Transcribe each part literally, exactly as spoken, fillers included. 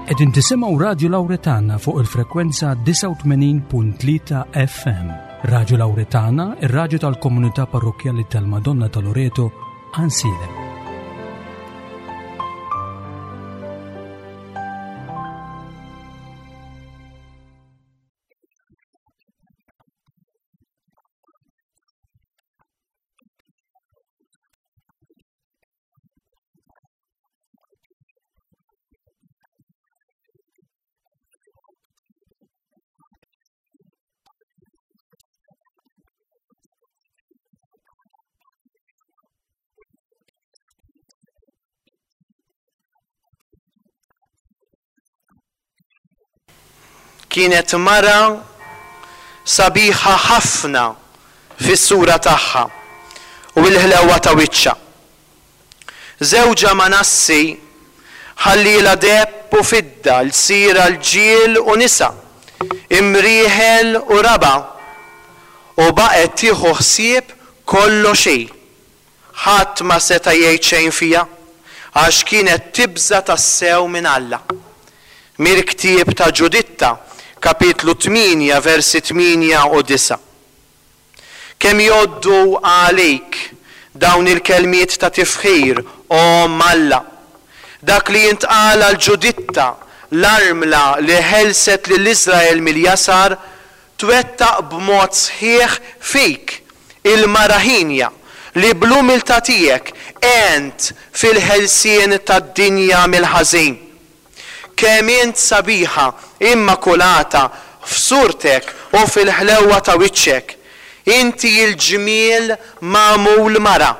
Qegħdin tisimgħu Radio Lauretana fuq il-frekwenza disgħa u tmenin punt tlieta F M. Radio Lauretana, ir-radju tal-komunità parrokkjali tal-Madonna ta' Loreto, Għajnsielem. Kienet mara sabiħa ħafna fis-sura tagħha u l-ħlewa ta' wiċċha. Żewġha Manassi ħallielha deheb u fidda, lsira rġiel u nisa, imrieħel u raba', u baqgħet tieħu ħsieb kollox hi. Ħadd ma seta' jgħid xejn fiha, għax kienet tibża' tassew minn Alla. Mill-ktieb ta' Ġuditta, kapitlu tmienja, versi tmienja u disgħa. Kemm jgħoddu għalik dawn il-kelmiet ta' tifħir, o Omm Alla! Dak li jintqal għal Ġuditta, l-armla li ħelset lil Iżrael mill-jasar, twettaq b'mod sħiħ fik, il-mara hienja, li bl-umiltà tiegħek għent fil-ħelsien tad-dinja mill-ħażin. Kemm int sabiħa, immakulata, f'surtek u fil-ħlewwa ta' wiċċek. Inti l-ġmiel magħmul mara.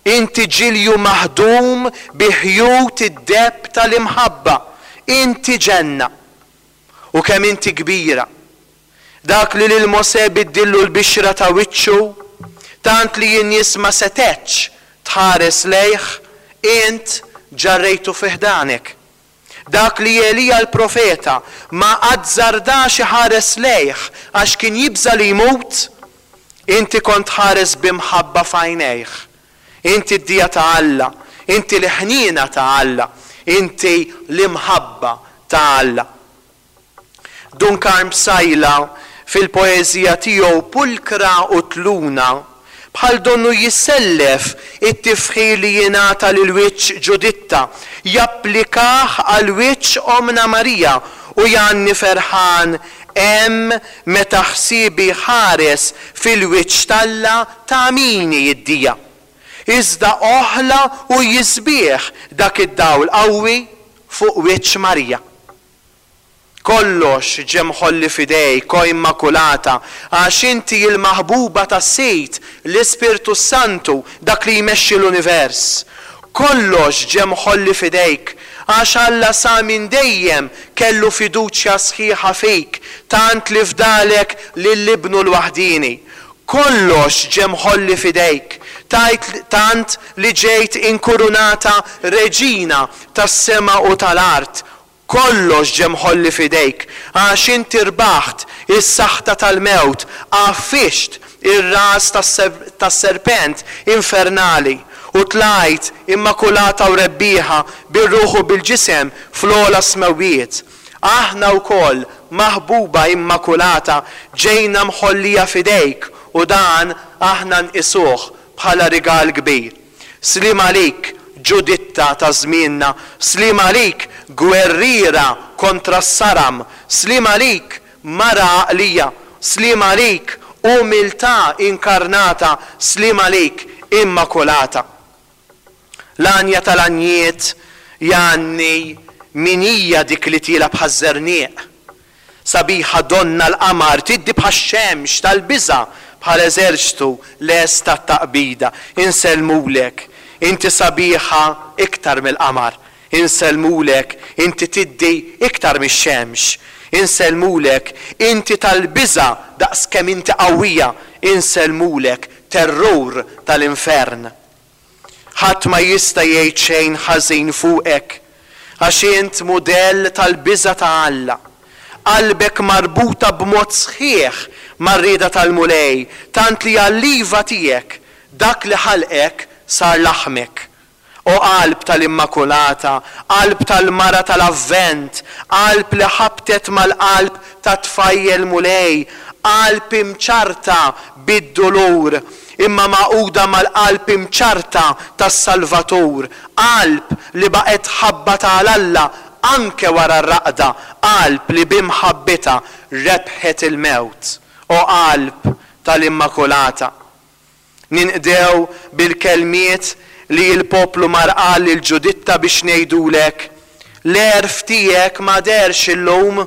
Inti ġilju maħdum bi ħjut id-deheb tal-imħabba. Inti ġenna. U kemm inti kbira. Dak li lil Mosè biddillu l-bixra ta' wiċċu, tant li n-nies ma setgħetx tħares lejh, int ġarrejtu fi ħdanek. Dak li Elija l-profeta ma azzardax iħares lejh għax kien jibża' li jmut, inti kont ħares b'imħabba f'għajnejh. Inti d-dija ta' Alla, inti l-ħniena ta' Alla, inti l-imħabba ta' Alla. Dun Karm Psaila fil-poeżija tiegħu Pulkra u Tluna bħal donnu jissellef it-tifħir li jingħata lil wiċċ Ġuditta, japplikah għal wiċċ Ommna Marija u jgħanni ferħan hemm meta ħsiebi ħares fil-wiċċ t'Alla tagħmini d-dija. Iżda oħla u jisbieħ dak id-dawl qawwi fuq wiċċ Marija. Kollox ġie mħolli f'idejk, o Immakulata, għax inti l-maħbuba tas-Sid, l-Ispirtu s-Santu, dak li jmexxi l-univers. Kollox ġie mħolli f'idejk, għax Alla sa minn dejjem kellu fiduċja sħiħa fik, tant li fdalek lil Ibnu l-waħdieni. Kollox ġie mħolli f'idejk, tajt tant li ġejt inkurunata reġina tas-sema u tal-art. Kollox ġie mħolli f'idejk, għax inti rbaħt is-saħta tal-mewt, għaffiġt ir-ras tas-serpent infernali u tlajt immakulata u rebbieħa bir-ruħ u bil-ġisem fl-ogħla smewwiet. Aħna wkoll, maħbuba immakulata, ġejna mħollija f'idejk u dan aħna nqisuh bħala rigal kbir. Sliem għalik, Ġuditta ta' żmienna, sliem għalik, gwerriera kontra s-saram, sliem għalik, mara għaqlija, sliem għalik, umiltà inkarnata, sliem għalik, immakulata. L-għanja tal-għanjiet jgħanni min hija dik li tiela bħaż-żerniq. Sabiħa donna l-qamar, tiddi bħax-xemx tal-biża' bħal eżerċtu lest tat-taqbida. Insellmulek, inti sabiħa iktar mill-qamar. Insellmulek, inti tiddi iktar mix-xemx. Insellmulek, inti tal-biża' daqs kemm inti qawwija. Insellmulek, terrur tal-infern. Ħadd ma jista' jgħid xejn ħażin fuqek, għax int mudell tal-biża' ta' Alla. Qalbek marbuta b'mod sħiħ mar-rieda tal-Mulej, tant li għall-iva tiegħek dak li ħalqek sar laħmek. O qalb tal-Immakulata, qalb tal-mara tal-Avvent, qalb li ħabtet mal-qalb tat-tfajjel Mulej, qalb imċarrta bid-dulur, imma magħquda mal-qalb imċarrta tas-Salvatur, qalb li baqgħet tħabbat għal Alla anke wara r-raqda, qalb li b'imħabbitha rebħet il-mewt. O qalb tal-Immakulata. Ninqdew bil-kelmiet li l-poplu mar qal lil Ġuditta biex ngħidulek, l-għerf tiegħek ma deherx illum,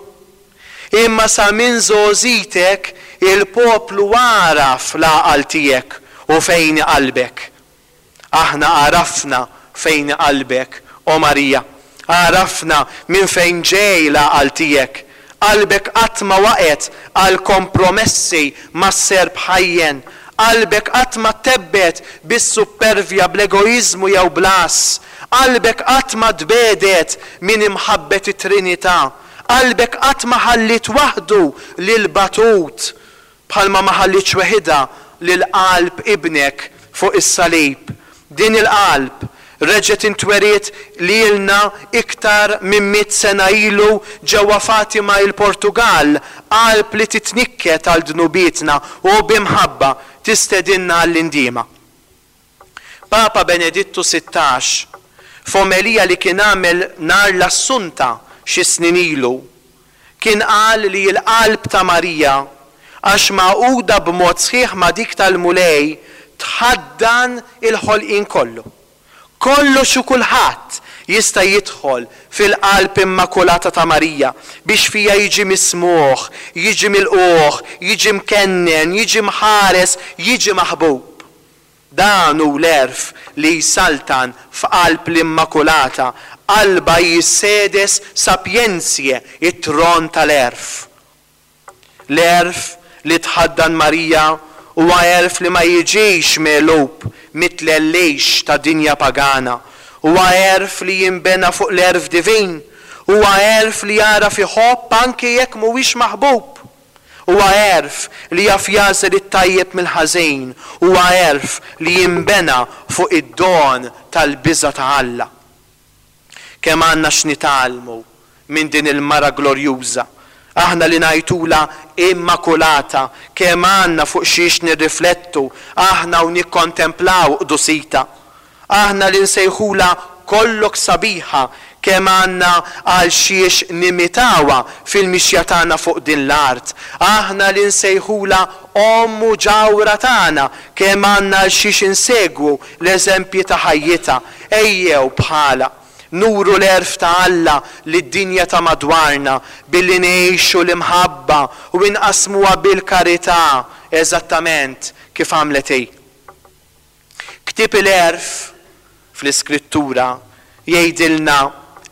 imma sa minn żgħożitek il-poplu għaraf l-għaqal tiegħek u fejn qalbek. Aħna għarafna fejn qalbek, o Marija. Għarafna minn fejn ġej l-għaqal tiegħek. Qalbek qatt ma waqgħet għal kompromessi mas-serp ħajjen. Qalbek qatt ma ttebbgħet bis-suppervja, bl-egoiżmu jew bl-għażż. Qalbek qatt ma tbiegħdet minn imħabbet it-Trinità. Qalbek qatt ma ħalliet waħdu lil batut, bħalma ma ħallietx weħidha lil qalb Ibnek fuq is-salib. Din il-qalb reġgħet intweriet lilna iktar minn mitt sena ilu ġewwa Fatima il-Portugall, qalb li titnikket għal dnubietna u b'imħabba tistedinna għall-indiema. Papa Benedittu Sittax, f'omelija li kien għamel nhar l-Assunta xi snin ilu, kien qal li l-qalb ta' Marija, għax magħquda b'mod sħiħ ma' dik tal-Mulej, tħaddan il-ħolqien kollu. Kollox u kulħadd jista' jidħol fil-qalb immakulata ta' Marija biex fija jiġi mismugħ, jiġi milqugħ, jiġi mkennen, jiġi mħares, jiġi maħbub. Dan hu l-għerf li jsaltan f'qalb l-Immakulata, qalba hi s-sedes sapientiae, it-tron tal-għerf. L-għerf li tħaddan Marija huwa għerf li ma jiġix megħlub mit-tlellix ta' dinja pagana. Huwa għerf li jinbena fuq l-għerf divin. Huwa għerf li jagħraf iħobb anke jekk mhuwiex maħbub. Huwa għerf li jaf jagħżel it-tajjeb mill-ħażin. Huwa għerf li jinbena fuq id-don tal-biża' ta' Alla. Kemm għandna x'nitgħallmu minn din il-mara glorjuża, aħna li ngħidulha Immakulata, kemm għandna fuq xiex nirriflettu aħna u nikkontemplaw qdusita. Aħna li nsejħulha kollok sabiħa, kemm għandna għal xiex nimitawha fil-mixja tagħna fuq din l-art. Aħna li nsejħulha omm u ġawhra tagħna, kemm għandna għal xiex insegwu l-eżempji ta' ħajjitha. Ejjew bħala nuru l-għerf ta' Alla lid-dinja ta' madwarna billi ngħixu l-imħabba u inqasmuha bil-karità, eżattament kif għamlet hi. Ktieb il-għerf fl-Iskrittura jgħidilna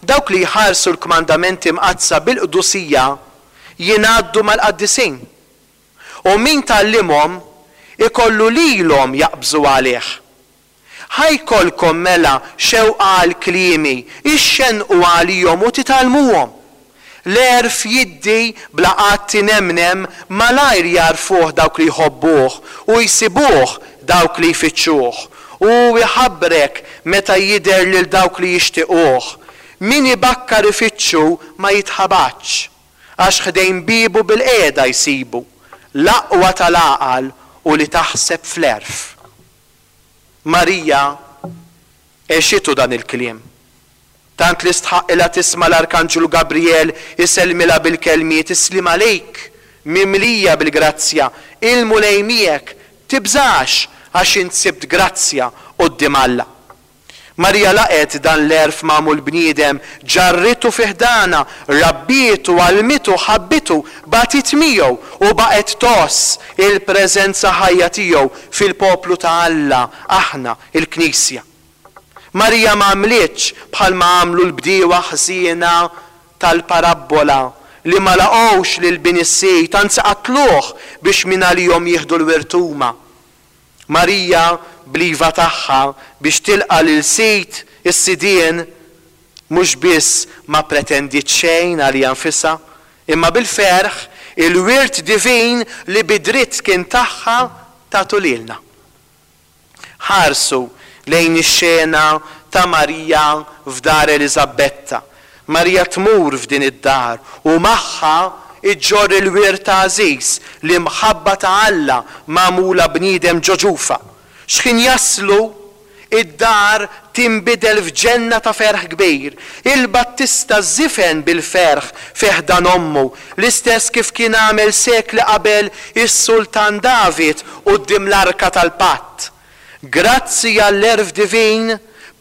dawk li jħarsu l-kmandamenti mqaddsa bil-qdusija jingħaddu mal-qaddisin. U min tgħallimhom ikollu lilhom jaqbżu għalih. Ħa jkollkom mela xewqa għal kliemi, ixxenqu għalihom u titgħallmuhom. L-għerf jiddi bla qatt inemnem, malajr jagħrfuh dawk li jħobbuh u jsibuh dawk li jfittxuh. U jħabbrek meta jidher lil dawk li jixtiquh. Min ibakkar ifittxu ma jitħabatx, għax ħdejn biebu bil-qiegħda jsibu. L-aqwa tal-għaqal u li taħseb fl-għerf. Marija għexitu dan il-kliem. Tant li stħaqilha tisma' l-Arkanġlu Gabriel isellmilha bil-kelmiet, Islim għalik, mimlija bil-grazzja, il-Mulej miegħek, tibżax għax int sibt grazzja quddiem Alla. Marija laqgħet dan l-għerf magħmul bniedem, ġarritu fi ħdana, rabbietu, għallmitu, ħabbitu, bagħtit miegħu u baqgħet tgħożż il-preżenza ħajja tiegħu fil-poplu ta' Alla, aħna, il-Knisja. Marija ma għamlitx bħalma għamlu l-bdiewa ħżiena tal-parabbola li ma laqgħux lil bin is-sid, anzi qatluh biex minn għalihom jieħdu l-wirt huma. Marija bl-iva tagħha biex tilqa' lil sid is-sidien mhux biss ma pretendiet xejn għalija nfisha, imma bil-ferħ il-wirt divin li bidritt kien tagħha tagħtu lilna. Ħarsu lejn ix-xena ta' Marija f'dar Eliżabetta. Marija tmur f'din id-dar u magħha iġġorr il-wirt għażiż, l-imħabba ta' Alla magħmula bniedem ġo ġufha. X'ħin jaslu, id-dar tinbidel f'ġenna ta' ferħ kbir. Il-Battista żifen bil-ferħ fi ħdan ommu, l-istess kif kien għamel sekli qabel is-Sultan David quddiem l-Arka tal-Patt. Grazzi għall-għerf divin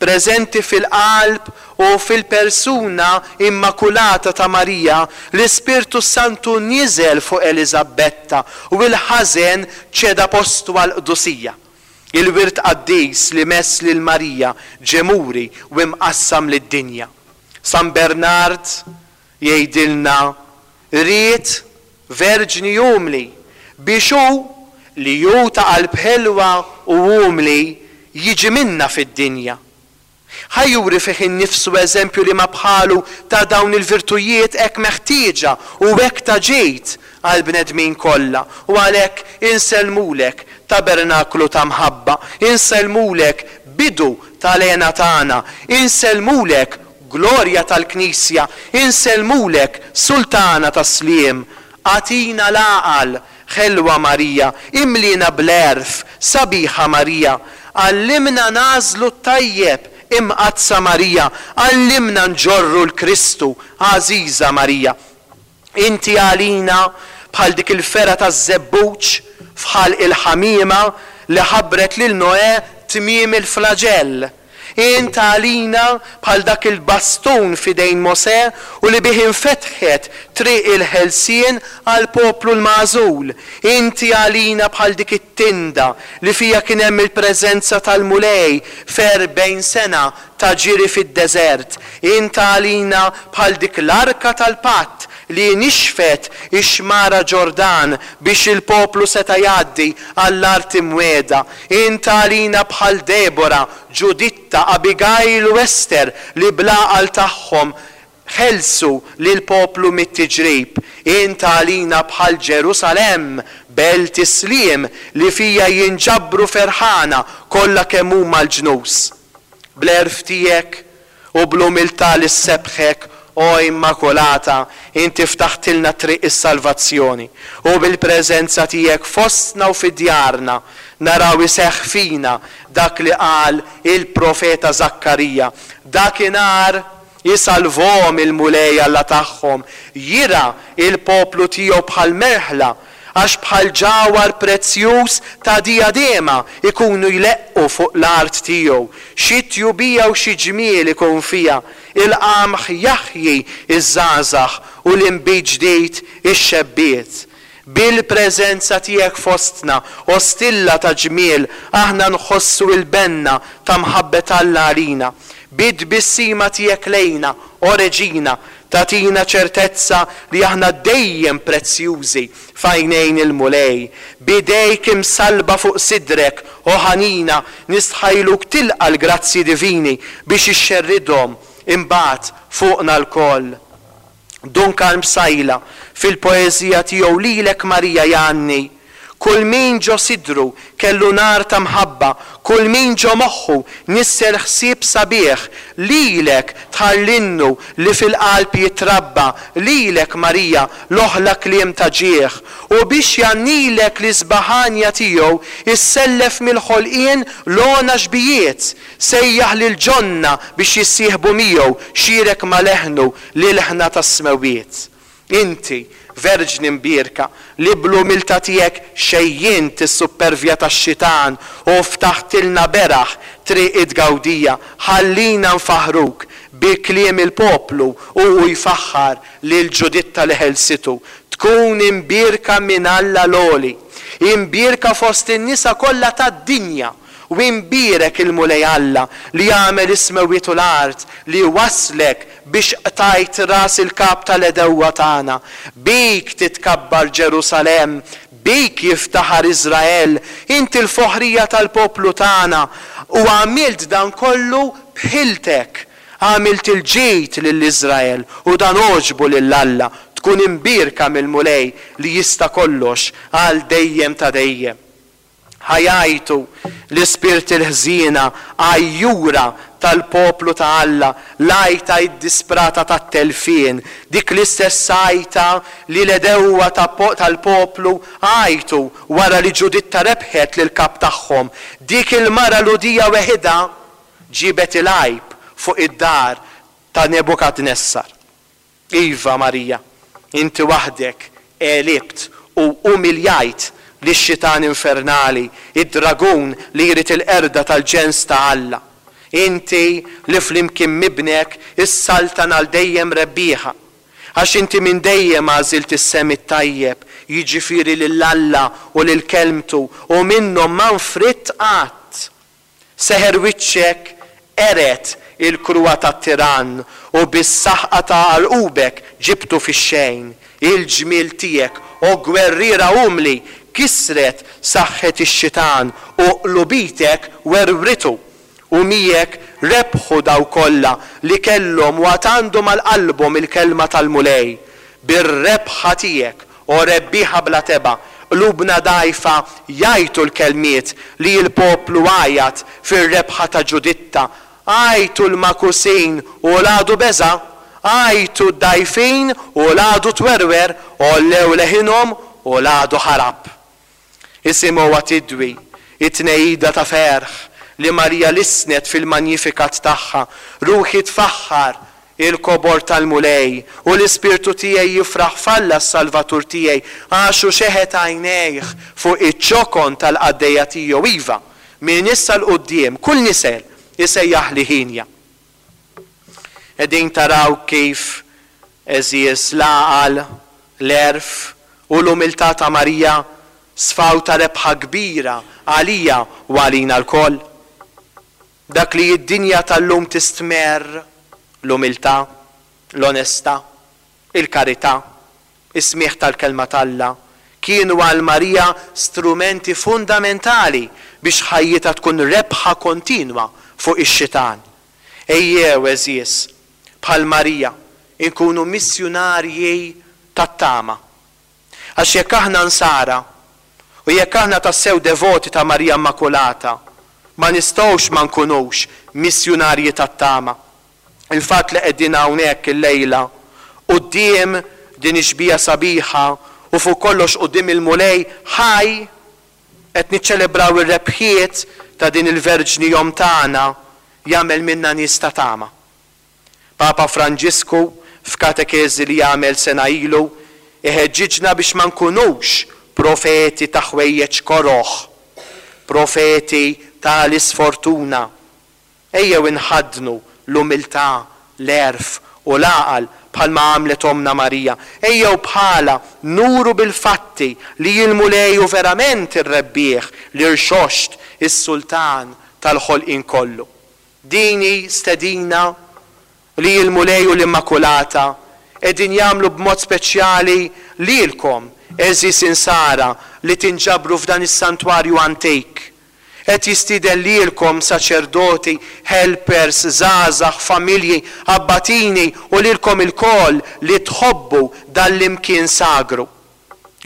preżenti fil-qalb u fil-persuna immakulata ta' Marija, l-Ispirtu Santu niżel fuq Eliżabetta u l-ħażen ċeda postu għall-qdusija. Il-wirt qaddis li mess lil Marija ġie muri u mqassam lid-dinja. San Bernard jgħidilna ried verġni umli biex hu li hu ta' qalb ħelwa u umli jiġi minna fid-dinja. Ħa juri fih innifsu eżempju li ma bħalu ta' dawn il-virtujiet hekk meħtieġa u hekk ta' ġid għall-bnedmin kollha. U għalhekk insellmulek tabernaklu ta' mħabba, insellmulek bidu tal-hena tagħna, insellmulek glorja tal-Knisja, insellmulek sultana tas-sliem. Agħtina l-għaqal, ħelwa Marija, imlina bl-għerf, sabiħa Marija, għallimna nagħżlu t-tajjeb, imqaddsa Marija, għallimna nġorru l-Kristu, għażiża Marija. Inti għalina bħal dik il-fergħa taż-żebbuġ f'ħalq il-ħamiema li ħabbret lil Noè tmiem il-flaġell. Int għalina bħal dak il-bastun f'idejn Mosè u li bih infetħet triq il-ħelsien għall-poplu l-magħżul. Inti għalina bħal dik it-tinda li fija kien hemm il-preżenza tal-Mulej f'erbgħin sena ta' ġiri fid-deżert. Int għalina bħal dik l-arka tal-patt li nixfet ix-xmara Ġordan biex il-poplu seta' jgħaddi għall-art imwiegħda. Int għalina bħal Debora, Ġuditta, Abigail u Ester li bl-għaqal tagħhom ħelsu lill-poplu mit-tiġrib. Int għalina bħal Ġerusalemm, belt is-sliem li fija jinġabru ferħana kollha kemm huma l-ġnus. Bl-għerf tiegħek u bl-umiltà li ssebbħek, o Immakulata, inti ftaħtilna triq is-salvazzjoni u bil-preżenza tiegħek fostna u fi djarna naraw iseħħ fina dak li qal il-profeta Żakkarija. Dakinhar isalvhom il-Mulej Alla tagħhom, jira il-poplu tiegħu bħal merħla, għax bħal ġawhar prezzjuż ta' dijadema ikunu jleqqu fuq l-art tiegħu. Xi tjubija u xi ġmiel ikun fiha, il-qamħ jaħji iż-żgħażagħ u l-inbid ġdid ix-xebbiet. Bil-preżenza tiegħek fostna, o stilla ta' ġmiel, aħna nħossu l-benna ta' mħabbet Alla għalina. Bit-tbissima tiegħek lejna, o Reġina, tagħtina ċertezza li aħna dejjem prezzjużi f'għajnejn il-Mulej. Bidejk imsalba fuq sidrek, o ħanina, nistħajluk tilqa' l-grazzji divini biex ixxerridhom imbagħad fuqna lkoll. Dun Karm Psaila fil-poeżija tiegħu Lilek Marija jgħanni: kull min ġo sidru kellu nar ta' mħabba, kull min ġo moħħu nissel ħsieb sabiħ, lilek tħallinnu li fil-qalb jitrabba, lilek Marija l-oħla kliem ta' ġieħ, u biex jgħannilek l-isbaħanja tiegħu issellef mill-ħolqien l-għona xbijiet, sejjaħ lil ġonna biex jissieħbu miegħu, xierek ma' leħnu lil-ħna tas-smewwiet. Inti, Verġni mbierka, li bl-umiltà tiegħek xejjint is-suppervja tax-xitan u ftaħtilna beraħ triq it-tgawdija, ħallina nfaħruk bi kliem il-poplu u hu jfaħħar lil Ġuditta li ħelsitu. Tkun imbierka minn Alla l-Għoli, imbierka fost in-nisa kollha tad-dinja, u imbierek il-Mulej Alla li għamel is-smewwiet u l-art, li waslek biex qtajt ras il-kap tal-għedewwa tagħna. Bik titkabbar Ġerusalemm, bik jiftaħar Iżrael, inti l-foħrija tal-poplu tagħna, u għamilt dan kollu b'ħiltek. Għamilt il-ġid lil Iżrael u dan għoġbu lil Alla. Tkun imbierka mill-Mulej li jista' kollox għal dejjem ta' dejjem. Ħajajtu l-ispirti l-ħżiena għajjura tal-poplu ta' Alla, l-għajta ddisprata tat-telfien, dik l-istess għajta li l-għedewwa tal-poplu għajtu wara li Ġuditta rebħet lill-kap tagħhom. Dik il-mara Lhudija weħidha ġiebet il-għajb fuq id-dar ta' Nebukadnessar. Iva Marija, inti waħdek għelibt u umiljajt lix-xitan infernali, id-dragun li jrid il-qerda tal-ġens ta' Alla. Inti li flimkien m'ibnek issaltan għal dejjem rebbieħa. Għax inti minn dejjem għażilt is-sehem it-tajjeb, jiġifieri lil Alla u lil kelmtu, u minnhom ma nfridt qatt. Seħer wiċċek qered il-kruha tat-tirann, u bis-saħqa ta' għarqubek ġibtu fix-xejn. Il-ġmiel tiegħek, o gwerriera umli, kisret saħħet ix-xitan u qlubitek werwritu. U miegħek rebħu daw kollha li kellhom u għad għandhom għal qalbhom il-kelma tal-Mulej. Bir-rebħa tiegħek, o rebbieħa bla tebgħa, qlubna dgħajfa jgħajtu l-kelmiet li l-poplu għajat fir-rebħa ta' Ġuditta. Għajtu l-makusin u l-għadu beża', għajtu d-dgħajfin u l-għadu twerwer, għollew leħinhom u l-għadu ħarab. Isimgħuha tidwi it-tnehida ta' ferħ li Marija lissnet fil-Magnificat tagħha. Ruħi tfaħħar il-kobor tal-Mulej u l-ispirtu tiegħi jifraħ f'Alla s-Salvatur tiegħi, għax hu xeħet għajnejh fuq iċ-ċokon tal-qaddejja tiegħu. Iva, minn issa 'l quddiem kull nisel isejjaħli ħinja. Qegħdin taraw kif, għeżież, l-għaqal, l-għerf u l-umiltà ta' Marija sfaw ta' rebħa kbira għalija u għalina lkoll. Dak li d-dinja tal-lum tistmerr, l-umiltà, l-onestà, il-karità, is-smigħ tal-kelma t'Alla, kienu għal Marija strumenti fundamentali biex ħajjitha tkun rebħa kontinwa fuq ix-xitan. Ejjew, għeżież, bħal Marija, inkunu missjunarji tat-tama. Għax jekk aħna nsara, u jekk aħna tassew devoti ta' Marija Immakulata, ma nistgħux ma nkunux missjunarji tat-tama. Il-fatt li qegħdin hawnhekk illejla quddiem din ix-xbieha sabiħa u fuq kollox quddiem il-Mulej ħaj, qed niċċelebraw ir-rebħiet ta' din il-Verġni Omm tagħna, jagħmel minna nies ta' tama. Papa Franġisku f'katekeżi li għamel sena ilu iħeġġiġna biex ma nkunux profeti ta' ħwejjeġ koroh, profeti ta' l-isfortuna. Ejjew inħaddnu l-umiltà, l-għerf u l-għaqal bħalma għamlet Ommna Marija. Ejjew bħala nuru bil-fatti li l-Mulej hu verament ir-rebbieħ, l-irxoxt, is-sultan tal-ħolqien kollu. Din hi stedina li l-Mulej u l-Immakulata qegħdin jagħmlu b'mod speċjali lilkom, għeżież insara li tinġabru f'dan is-santwarju antik. Qed jistieden lilkom saċerdoti, helpers, żgħażagħ, familji, abbatini u lilkom ilkoll li tħobbu dan l-imkien sagru.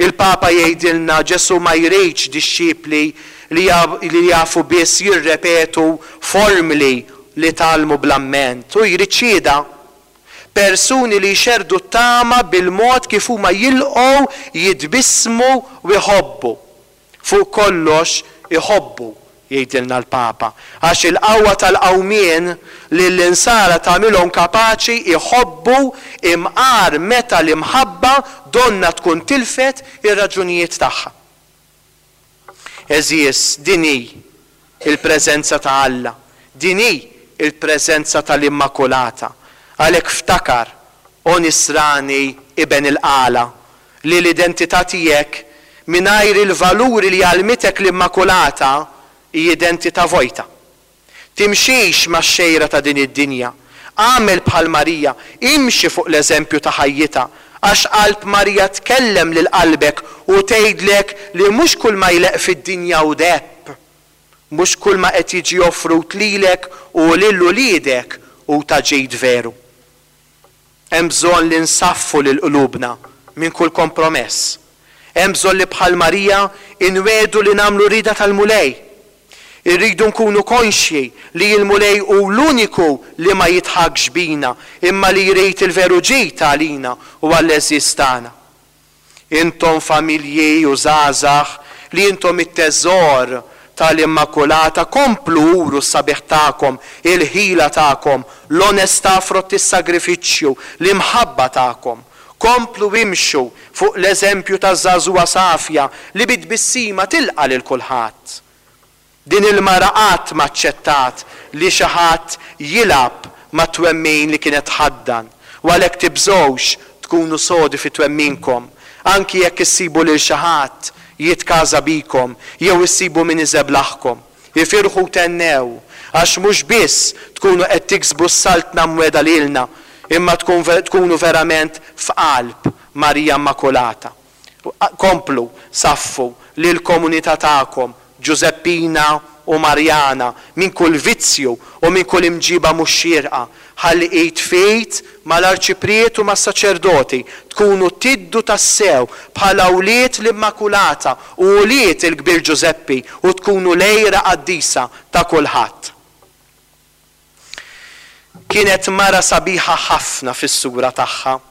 Il-Papa jgħidilna Ġesù ma jridx dixxipli li jafu biss jirrepetu formli li tgħallmu bl-amment. Hu jrid xhieda. Persuni li jxerrdu t-tama bil-mod kif huma jilqgħu, jitbissmu u jħobbu. Fuq kollox iħobbu, jgħidilna l-Papa, għax il-qawwa tal-qawmien li l-insara tagħmilhom kapaċi jħobbu imqar meta l-imħabba donna tkun tilfet ir-raġunijiet tagħha. Għeżież, din hi il-preżenza ta' Alla, din hi il-preżenza tal-Immakulata. Għalhekk ftakar, o nisrani iben il-qala, li l-identità tiegħek mingħajr il-valuri li għallmitek l-Immakulata hi identità vojta. Timxix max-xejra ta' din id-dinja. Agħmel bħal Marija, imxi fuq l-eżempju ta' ħajjitha, għax qalb Marija tkellem lil qalbek u tgħidlek li mhux kull ma jleqq fid-dinja hu deheb, mhux kull ma qed jiġi offrut lilek u lil uliedek hu ta' ġid veru. Hemm bżonn li nsaffu lil qlubna minn kull kompromess. Hemm bżonn li bħal Marija inwedu li nagħmlu rieda tal-Mulej. Irridu nkunu konxji li l-Mulej hu l-uniku li ma jidħakx bina, imma li jrid il-veru ġid għalina u għall-għeżież tagħna. Intom familji u żgħażagħ li intom it-teżor tal-Immakulata, komplu uru s-sabiħ tagħkom, il-ħila tagħkom, l-onestà frott is-sagrifiċċju, l-imħabba tagħkom. Komplu imxu fuq l-eżempju taż-żagħżugħa safja li bi tbissima tilqa' lil kulħadd. Din il-mara qatt ma aċċettat li xi ħadd jilgħab mat-twemmin li kienet tħaddan, u għalhekk tibżgħux tkunu sodi fi twemminkom, anki jekk issibu lil xi ħadd jitkaża bikom jew issibu min iżeblaħkom. Ifirħu u tennew, għax mhux biss tkunu qed tiksbu s-saltna mwegħda lilna, imma tkun ver-, tkunu verament f'qalb Marija Immakulata. Komplu saffu lill-komunità tagħkom, Ġużeppina u Marjana, minn kull vizzju u minn kull imġiba mhux xierqa, ħalli id f'id mal-arċipriet u mas-saċerdoti tkunu tiddu tassew bħala wlied l-Immakulata u wlied il-Kbir Ġużeppi u tkunu lejra qaddisa ta' kulħadd. Kienet mara sabiħa ħafna fis-sura tagħha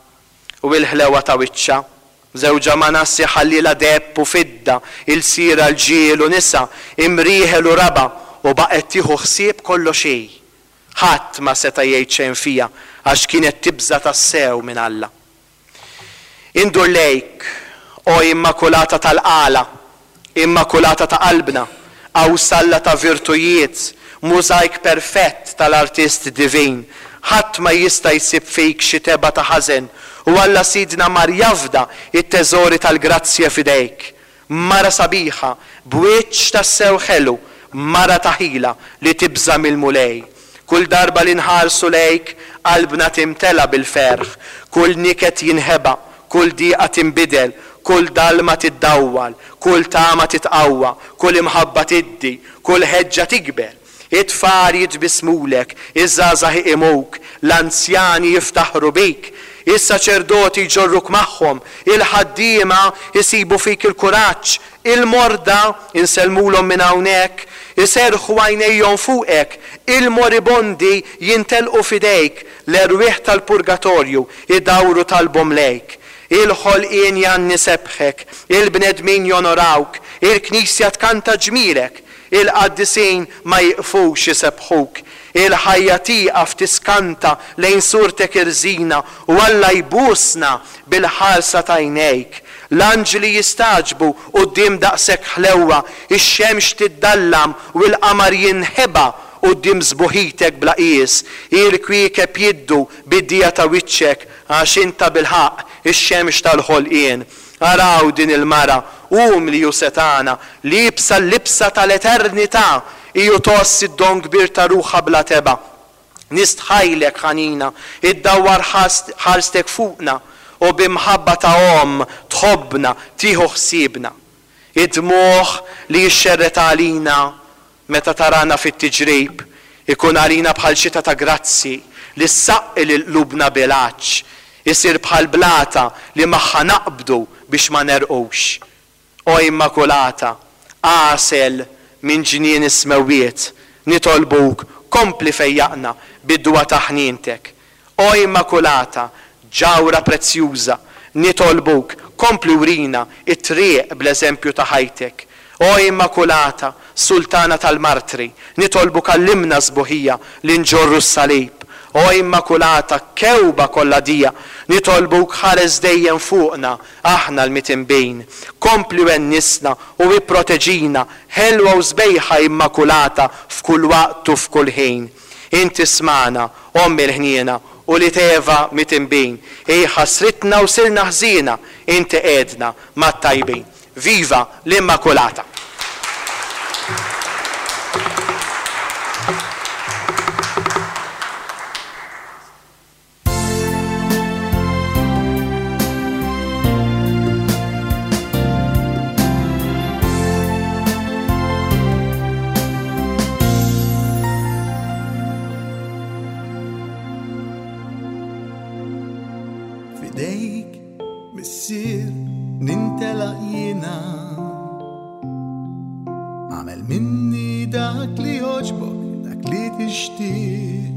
u l-ħlewa ta' wiċċha. Żewġha Manassi ħallilha deheb u fidda, ilsira l-ġiel u nisa, imrieħel u raba', u baqgħet tieħu ħsieb kollox hi. Ħadd ma seta' jgħid xejn fiha għax kienet tibża' tassew minn Alla. Indur lejk, o Immakulata tal-Qala, Immakulata ta' qalbna, qawsalla ta' virtujiet, mużajk perfett tal-artist divin. Ħadd ma jista' jsib fik xi tebgħa ta' ħażen, u Alla Sidna mar jafda it-teżori tal-grazzja f'idejk. Mara sabiħa, b'wiċċ tassew ħelu, mara ta' ħila li tibża' mill-Mulej. Kull darba li nħarsu lejk, qalbna timtela bil-ferħ, kull niket jinħeba, kull diqa tinbidel, kull dalma tiddawwal, kull tama titqawwa, kull imħabba tiddi, kull ħeġġa tikber. It-tfal jitbismulek, iż-żgħażagħ iqimuk, l-anzjani jiftaħru bik, is-saċerdoti jġorruk magħhom, il-ħaddiema jsibu fik il-kuraġġ, il-morda insellmulhom minn hawnhekk, iserrħu għajnejhom fuqek, il-moribondi jintelqu f'idejk, l-erwieħ tal-purgatorju idawru talbhom lejk. Il-ħolqien jgħanni sebħek, il-bnedmin jonorawk, il-knisja tkanta ġmielek, il-qaddisin ma jiqfux isebħuk, il-ħajja tieqaf tiskanta lejn surtek irżina u Alla jbusna bil-ħarsa ta' għajnejk. L-anġli jistagħġbu quddiem daqshekk ħlewwa, ix-xemx tiddallam u l-qamar jinħeba quddiem sbuħitek bla qies, il-kwiekeb jiddu bid-dija ta' wiċċek għax inta bil-ħaqq ix-xemx tal-ħolqien. Araw din il-mara, umli u setana, liebsa l-libsa tal-eternità, iju toss id-don kbir ta' ruħha bla teba. Nistħajlek ħanina, iddawwar ħarstek fuqna u bimħabba ta' omm tħobbna, tieħu ħsiebna. Id-dmugħ li jixxerret għalina meta tarana fit-tiġrib ikun għalina bħal xita ta' grazzi li ssaqqi lil qlubna bil-għatx, isir bħal blata li magħha naqbdu biex ma nerqux. O Immakulata, għasel minn ġnien is-smewwiet, nitolbuk kompli fejjaqna bid-dwa ta' ħnientek. O Immakulata, ġawra prezzjuża, nitolbuk kompli wrina it-triq bl-eżempju ta' ħajtek. O Immakulata, Sultana tal-Martri, nitolbuk għallimna sbuħija li nġorru s-salib. O Immakulata, kewba kollha dija, nitolbuk ħares dejjem fuqna, aħna l-mitinbin. Kompli wennisna u ipproteġina, ħelwa u sbejħa Immakulata f'kull waqt u f'kull ħin. Inti smana, Omm il-ħniena, u li teva mitinbin. Ej ħasritna u sirna ħżiena, inti qegħdna mat-tajbin. Viva l-Immakulata! Fidejk, missier, nintelaq jiena. Għamel minni dak dak li jogħġbok, dak li tixtieq.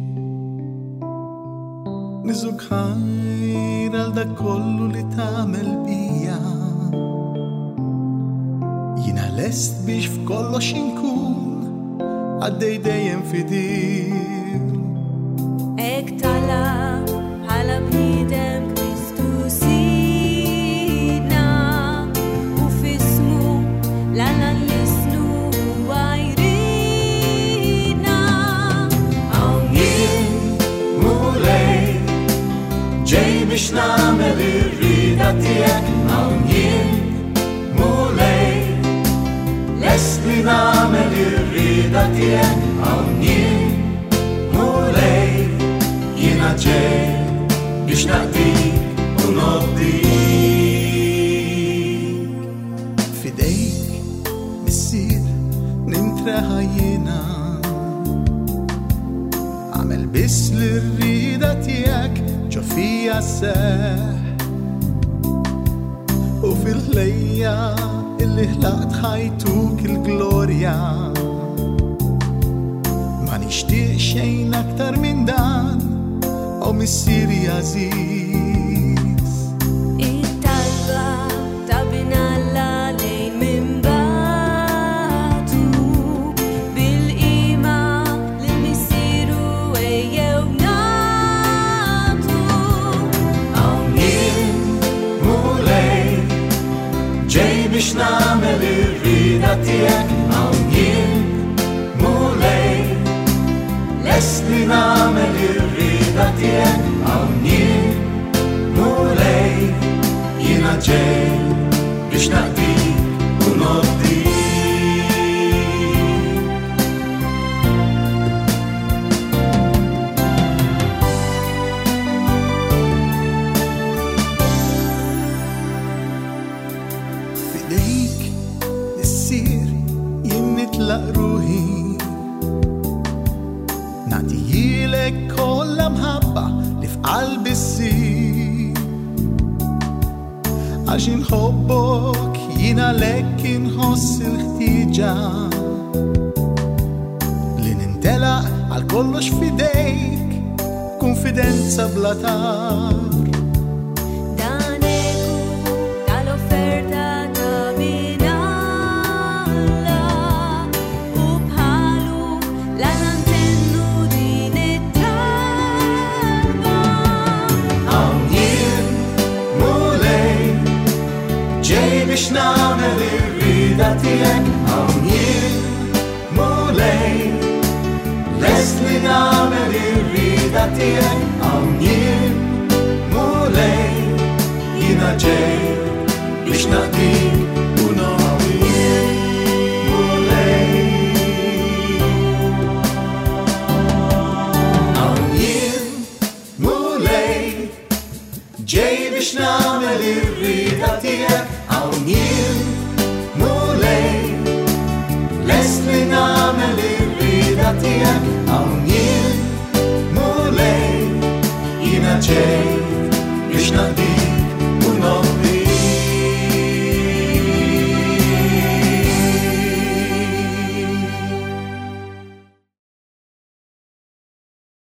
Niżuk ħajr għal dak kollu li tagħmel bija. Jiena lest biex f'kollox inkun għaddej dejjem fidil. Hekk talab bħala bniedem Kristu Sidna, u f'ismu l-Alla nlissnu huwa jridna. Hawn jien, Mulej, ġej biex nagħmel ir-rieda tiegħek. Hawn jien, Mulej, lest li nagħmel ir-rieda tiegħek. Hawn jien, Mulej, jiena ġej biex naqdik u nobdik. F'idejk, Missier, nintreħa jiena. Għamel biss l-rieda tiegħek ġo fija sseħħ. U fil-ħlejja illi ħlaqt ħajtuk il-glorja. Ma nixtieq xejn aktar minn dan, o Missieri għażiż. It-talba ta' Bin Alla lejn minn bagħtu, bil-qima lil Missieru ejjew nagħtu. Hawn jien, Mulej, ġej biex nagħmel ir-rieda tiegħek. Hawn jien, Mulej, lest li nagħmel ir-rieda tiegħek. Hawn jien, Mulej, jiena ġej biex naqdik u nobdik. F'idejk, Missier, jien nitlaq ruħi. Nagħtihilek kollha mħabba li f'qalbi ssir. Għax inħobbok jien għalhekk inħoss il-ħtieġa li nintelaq għal kollox f'idejk, konfidenza bla tar. Dan eku tal-offerta ta' Bin Alla, u bħalu l-Alla ntennu din it-talba. Hawn jien, Mulej, ġej biex nagħmel ir-rieda tiegħek. Hawn jien, Mulej, lest li nagħmel ir-rieda tiegħek. Hawn jien, Mulej, jiena ġej biex naqdik u nobdik. Mulej. Hawn jien, Mulej, ġej biex nagħmel ir-rieda tiegħek. Hawn jien, Mulej, lest li nagħmel ir-rieda tiegħek. Hawn jien, Mulej, jiena ġej biex naqdik.